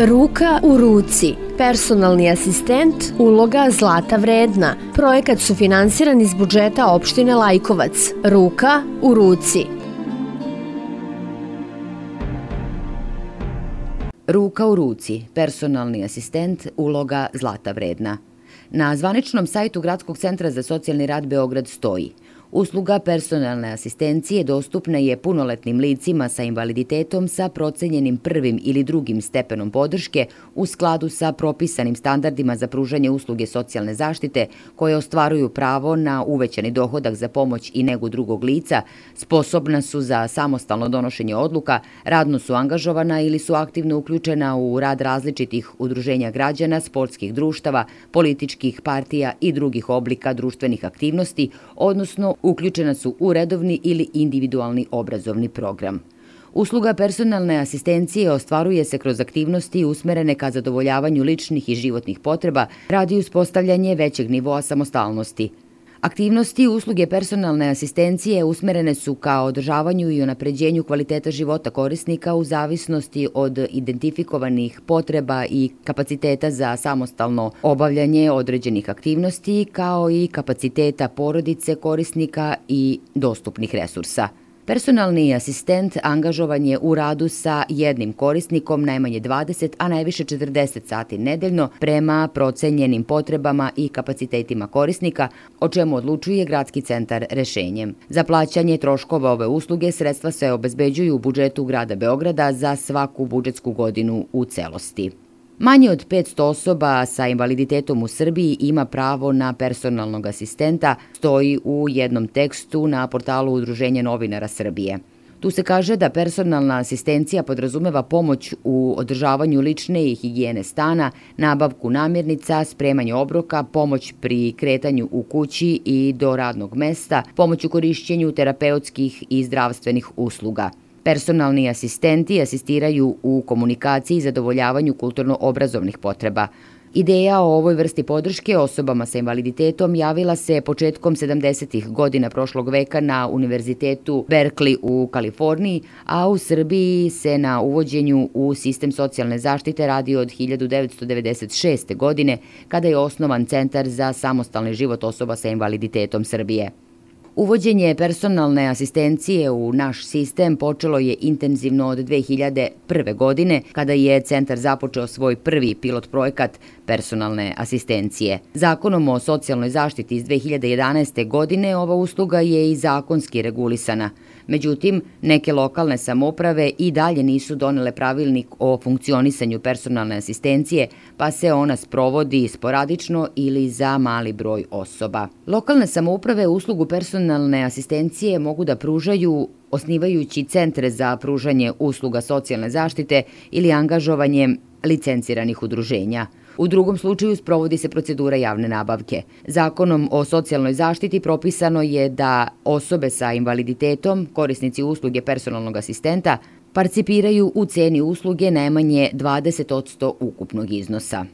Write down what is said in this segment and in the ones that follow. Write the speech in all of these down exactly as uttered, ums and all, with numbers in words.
Ruka u ruci. Personalni asistent, uloga zlata vredna. Projekat sufinansiran iz budžeta opštine Lajkovac. Ruka u ruci. Ruka u ruci. Personalni asistent, uloga zlata vredna. Na zvaničnom sajtu Gradskog centra za socijalni rad Beograd stoji: usluga personalne asistencije dostupna je punoletnim licima sa invaliditetom sa procenjenim prvim ili drugim stepenom podrške u skladu sa propisanim standardima za pružanje usluge socijalne zaštite koje ostvaruju pravo na uvećani dohodak za pomoć i negu drugog lica, sposobna su za samostalno donošenje odluka, radno su angažovana ili su aktivno uključena u rad različitih udruženja građana, sportskih društava, političkih partija i drugih oblika društvenih aktivnosti, odnosno uključena su u redovni ili individualni obrazovni program. Usluga personalne asistencije ostvaruje se kroz aktivnosti usmerene ka zadovoljavanju ličnih i životnih potreba radi uspostavljanje većeg nivoa samostalnosti. Aktivnosti usluge personalne asistencije usmerene su ka održavanju i unapređenju kvaliteta života korisnika u zavisnosti od identifikovanih potreba i kapaciteta za samostalno obavljanje određenih aktivnosti, kao i kapaciteta porodice korisnika i dostupnih resursa. Personalni asistent angažovan je u radu sa jednim korisnikom najmanje dvadeset, a najviše četrdeset sati nedeljno prema procenjenim potrebama i kapacitetima korisnika, o čemu odlučuje Gradski centar rešenjem. Za plaćanje troškova ove usluge sredstva se obezbeđuju u budžetu grada Beograda za svaku budžetsku godinu u celosti. Manje od petsto osoba sa invaliditetom u Srbiji ima pravo na personalnog asistenta, stoji u jednom tekstu na portalu Udruženja novinara Srbije. Tu se kaže da personalna asistencija podrazumeva pomoć u održavanju lične i higijene stana, nabavku namirnica, spremanje obroka, pomoć pri kretanju u kući i do radnog mesta, pomoć u korišćenju terapeutskih i zdravstvenih usluga. Personalni asistenti asistiraju u komunikaciji i zadovoljavanju kulturno-obrazovnih potreba. Ideja o ovoj vrsti podrške osobama sa invaliditetom javila se početkom sedamdesetih godina prošlog veka na Univerzitetu Berkeley u Kaliforniji, a u Srbiji se na uvođenju u sistem socijalne zaštite radi od hiljadu devetsto devedeset šeste. godine, kada je osnovan Centar za samostalni život osoba sa invaliditetom Srbije. Uvođenje personalne asistencije u naš sistem počelo je intenzivno od dve hiljade prve. godine, kada je centar započeo svoj prvi pilot projekat personalne asistencije. Zakonom o socijalnoj zaštiti iz dve hiljade jedanaeste. godine ova usluga je i zakonski regulisana. Međutim, neke lokalne samouprave i dalje nisu donele pravilnik o funkcionisanju personalne asistencije, pa se ona sprovodi sporadično ili za mali broj osoba. Lokalne samouprave uslugu personalne asistencije mogu da pružaju osnivajući centre za pružanje usluga socijalne zaštite ili angažovanjem licenciranih udruženja. U drugom slučaju sprovodi se procedura javne nabavke. Zakonom o socijalnoj zaštiti propisano je da osobe sa invaliditetom, korisnici usluge personalnog asistenta, participiraju u ceni usluge najmanje dvadeset posto ukupnog iznosa.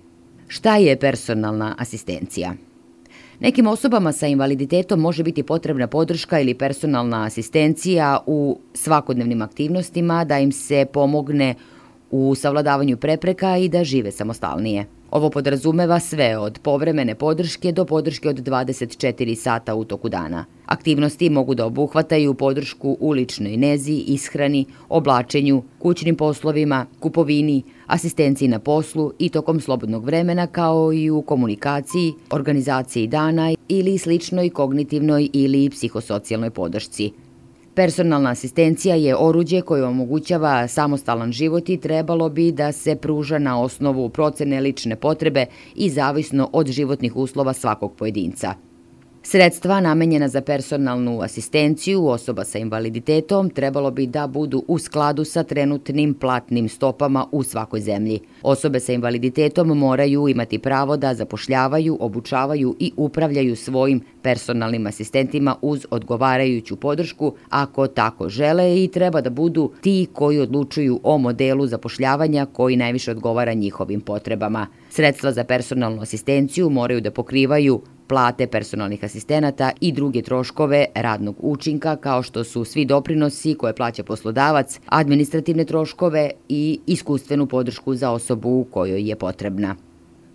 Šta je personalna asistencija? Nekim osobama sa invaliditetom može biti potrebna podrška ili personalna asistencija u svakodnevnim aktivnostima da im se pomogne u savladavanju prepreka i da žive samostalnije. Ovo podrazumeva sve od povremene podrške do podrške od dvadeset četiri sata u toku dana. Aktivnosti mogu da obuhvataju podršku u ličnoj nezi, ishrani, oblačenju, kućnim poslovima, kupovini, asistenciji na poslu i tokom slobodnog vremena, kao i u komunikaciji, organizaciji dana ili sličnoj kognitivnoj ili psihosocijalnoj podršci. Personalna asistencija je oruđe koje omogućava samostalan život i trebalo bi da se pruža na osnovu procene lične potrebe i zavisno od životnih uslova svakog pojedinca. Sredstva namenjena za personalnu asistenciju osoba sa invaliditetom trebalo bi da budu u skladu sa trenutnim platnim stopama u svakoj zemlji. Osobe sa invaliditetom moraju imati pravo da zapošljavaju, obučavaju i upravljaju svojim personalnim asistentima uz odgovarajuću podršku ako tako žele i treba da budu ti koji odlučuju o modelu zapošljavanja koji najviše odgovara njihovim potrebama. Sredstva za personalnu asistenciju moraju da pokrivaju plate personalnih asistenata i druge troškove radnog učinka, kao što su svi doprinosi koje plaća poslodavac, administrativne troškove i iskustvenu podršku za osobu kojoj je potrebna.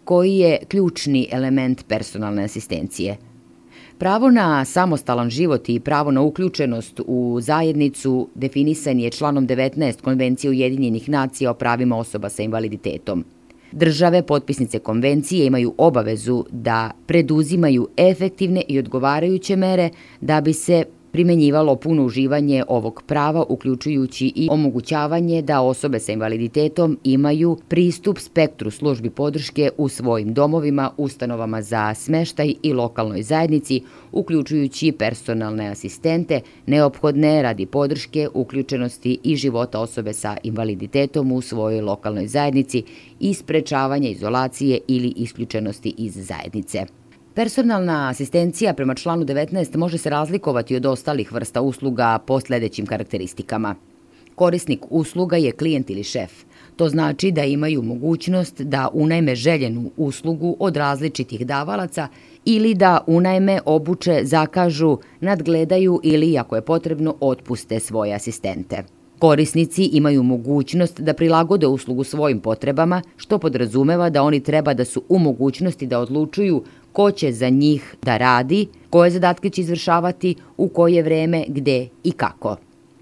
Koji je ključni element personalne asistencije? Pravo na samostalan život i pravo na uključenost u zajednicu definisan je članom devetnaest Konvencije Ujedinjenih nacija o pravima osoba sa invaliditetom. Države potpisnice konvencije imaju obavezu da preduzimaju efektivne i odgovarajuće mere da bi se primenjivalo puno uživanje ovog prava, uključujući i omogućavanje da osobe sa invaliditetom imaju pristup spektru službi podrške u svojim domovima, ustanovama za smeštaj i lokalnoj zajednici, uključujući personalne asistente, neophodne radi podrške, uključenosti i života osobe sa invaliditetom u svojoj lokalnoj zajednici i sprečavanja izolacije ili isključenosti iz zajednice. Personalna asistencija prema članu devetnaest može se razlikovati od ostalih vrsta usluga po sledećim karakteristikama. Korisnik usluga je klijent ili šef. To znači da imaju mogućnost da unajme željenu uslugu od različitih davalaca ili da unajme, obuče, zakažu, nadgledaju ili, ako je potrebno, otpuste svoje asistente. Korisnici imaju mogućnost da prilagode uslugu svojim potrebama, što podrazumeva da oni treba da su u mogućnosti da odlučuju ko će za njih da radi, koje zadatke će izvršavati, u koje vreme, gde i kako.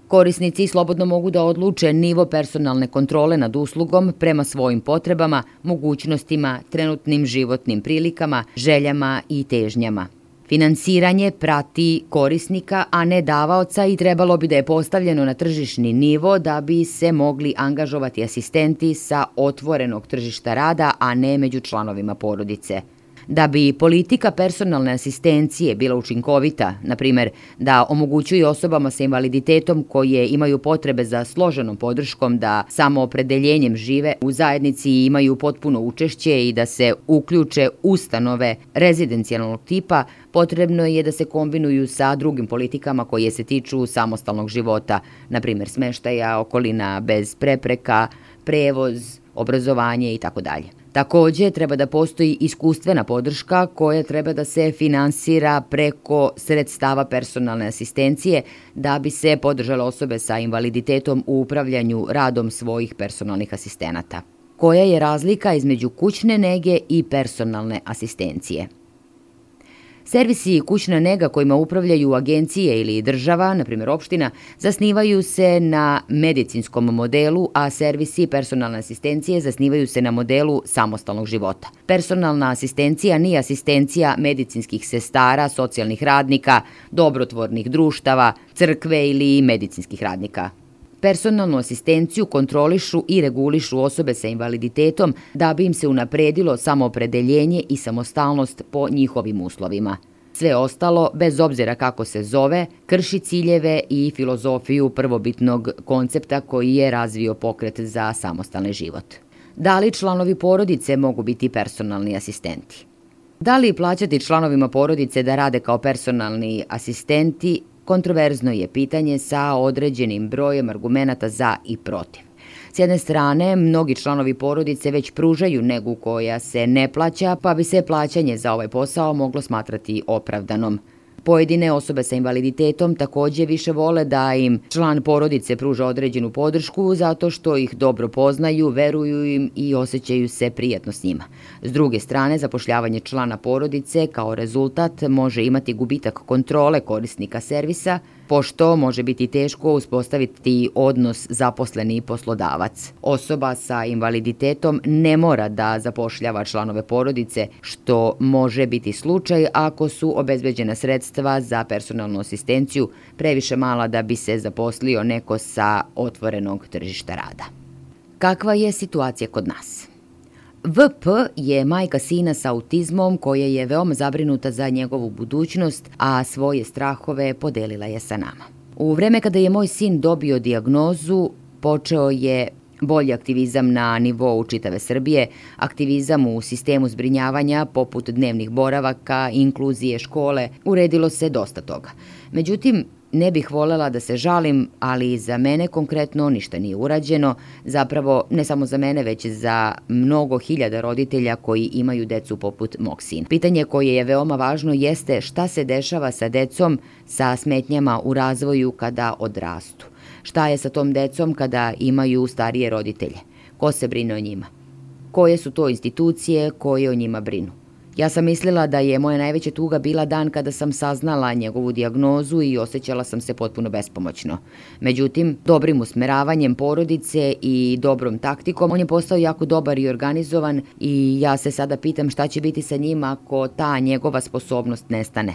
Korisnici slobodno mogu da odluče nivo personalne kontrole nad uslugom prema svojim potrebama, mogućnostima, trenutnim životnim prilikama, željama i težnjama. Finansiranje prati korisnika, a ne davaoca, i trebalo bi da je postavljeno na tržišni nivo da bi se mogli angažovati asistenti sa otvorenog tržišta rada, a ne među članovima porodice. Da bi politika personalne asistencije bila učinkovita, na primer da omogućuje osobama sa invaliditetom koje imaju potrebe za složenom podrškom da samoopredeljenjem žive u zajednici i imaju potpuno učešće i da se uključe ustanove rezidencijalnog tipa, potrebno je da se kombinuju sa drugim politikama koje se tiču samostalnog života, na primer smeštaja, okolina bez prepreka, prevoz, obrazovanje i tako dalje. Takođe, treba da postoji iskustvena podrška koja treba da se finansira preko sredstava personalne asistencije da bi se podržale osobe sa invaliditetom u upravljanju radom svojih personalnih asistenata. Koja je razlika između kućne nege i personalne asistencije? Servisi kućna nega kojima upravljaju agencije ili država, na primjer opština, zasnivaju se na medicinskom modelu, a servisi personalne asistencije zasnivaju se na modelu samostalnog života. Personalna asistencija nije asistencija medicinskih sestara, socijalnih radnika, dobrotvornih društava, crkve ili medicinskih radnika. Personalnu asistenciju kontrolišu i regulišu osobe sa invaliditetom da bi im se unapredilo samoopredeljenje i samostalnost po njihovim uslovima. Sve ostalo, bez obzira kako se zove, krši ciljeve i filozofiju prvobitnog koncepta koji je razvio pokret za samostalni život. Da li članovi porodice mogu biti personalni asistenti? Da li plaćati članovima porodice da rade kao personalni asistenti? Kontroverzno je pitanje sa određenim brojem argumenata za i protiv. S jedne strane, mnogi članovi porodice već pružaju negu koja se ne plaća, pa bi se plaćanje za ovaj posao moglo smatrati opravdanom. Pojedine osobe sa invaliditetom takođe više vole da im član porodice pruža određenu podršku zato što ih dobro poznaju, veruju im i osjećaju se prijatno s njima. S druge strane, zapošljavanje člana porodice kao rezultat može imati gubitak kontrole korisnika servisa, pošto može biti teško uspostaviti odnos zaposleni poslodavac. Osoba sa invaliditetom ne mora da zapošljava članove porodice, što može biti slučaj ako su obezbeđena sredstva za personalnu asistenciju previše mala da bi se zaposlio neko sa otvorenog tržišta rada. Kakva je situacija kod nas? V P je majka sina sa autizmom koja je veoma zabrinuta za njegovu budućnost, a svoje strahove podelila je sa nama. U vreme kada je moj sin dobio dijagnozu, počeo je bolji aktivizam na nivou čitave Srbije, aktivizam u sistemu zbrinjavanja poput dnevnih boravaka, inkluzije, škole, uredilo se dosta toga. Međutim, ne bih volela da se žalim, ali za mene konkretno ništa nije urađeno, zapravo ne samo za mene, već za mnogo hiljada roditelja koji imaju decu poput mog sina. Pitanje koje je veoma važno jeste šta se dešava sa decom sa smetnjama u razvoju kada odrastu. Šta je sa tom decom kada imaju starije roditelje? Ko se brine o njima? Koje su to institucije koje o njima brinu? Ja sam mislila da je moja najveća tuga bila dan kada sam saznala njegovu dijagnozu i osjećala sam se potpuno bespomoćno. Međutim, dobrim usmeravanjem porodice i dobrom taktikom, on je postao jako dobar i organizovan i ja se sada pitam šta će biti sa njim ako ta njegova sposobnost nestane.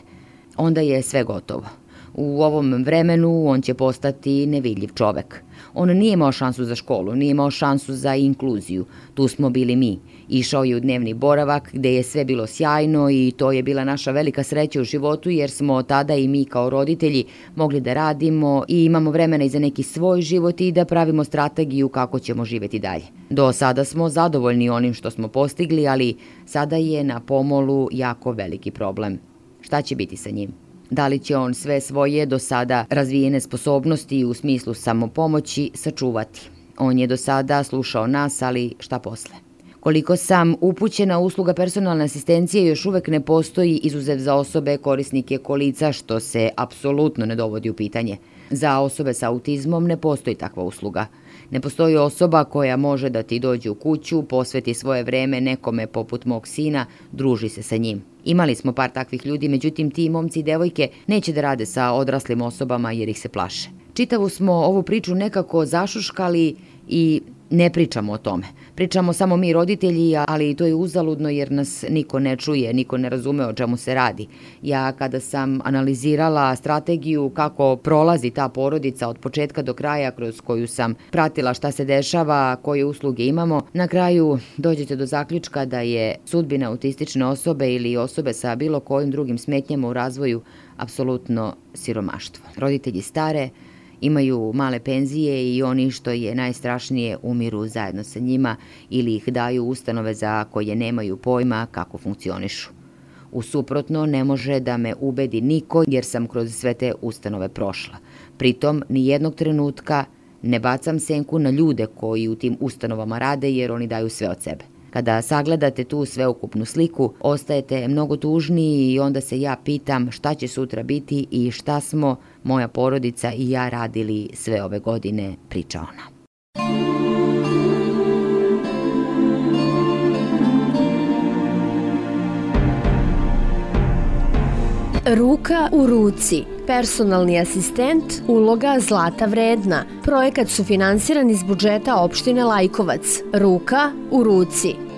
Onda je sve gotovo. U ovom vremenu on će postati nevidljiv čovek. On nije imao šansu za školu, nije imao šansu za inkluziju. Tu smo bili mi. Išao je u dnevni boravak gde je sve bilo sjajno i to je bila naša velika sreća u životu jer smo tada i mi kao roditelji mogli da radimo i imamo vremena i za neki svoj život i da pravimo strategiju kako ćemo živeti dalje. Do sada smo zadovoljni onim što smo postigli, ali sada je na pomolu jako veliki problem. Šta će biti sa njim? Da li će on sve svoje do sada razvijene sposobnosti u smislu samopomoći sačuvati? On je do sada slušao nas, ali šta posle? Koliko sam upućena, usluga personalne asistencije još uvek ne postoji izuzev za osobe korisnike kolica, što se apsolutno ne dovodi u pitanje. Za osobe sa autizmom ne postoji takva usluga. Ne postoji osoba koja može da ti dođe u kuću, posveti svoje vreme nekome poput mog sina, druži se sa njim. Imali smo par takvih ljudi, međutim ti momci i devojke neće da rade sa odraslim osobama jer ih se plaše. Čitavu smo ovu priču nekako zašuškali i ne pričamo o tome. Pričamo samo mi roditelji, ali to je uzaludno jer nas niko ne čuje, niko ne razume o čemu se radi. Ja kada sam analizirala strategiju kako prolazi ta porodica od početka do kraja kroz koju sam pratila šta se dešava, koje usluge imamo, na kraju dođete do zaključka da je sudbina autistične osobe ili osobe sa bilo kojim drugim smetnjama u razvoju apsolutno siromaštvo. Roditelji stare, imaju male penzije i oni, što je najstrašnije, umiru zajedno sa njima ili ih daju ustanove za koje nemaju pojma kako funkcionišu. U suprotno, ne može da me ubedi niko jer sam kroz sve te ustanove prošla. Pritom, ni jednog trenutka ne bacam senku na ljude koji u tim ustanovama rade jer oni daju sve od sebe. Kada sagledate tu sveukupnu sliku, ostajete mnogo tužniji i onda se ja pitam šta će sutra biti i šta smo, moja porodica i ja, radili sve ove godine, priča ona. Ruka u ruci. Personalni asistent, uloga Zlata Vredna. Projekat sufinansiran iz budžeta opštine Lajkovac. Ruka u ruci.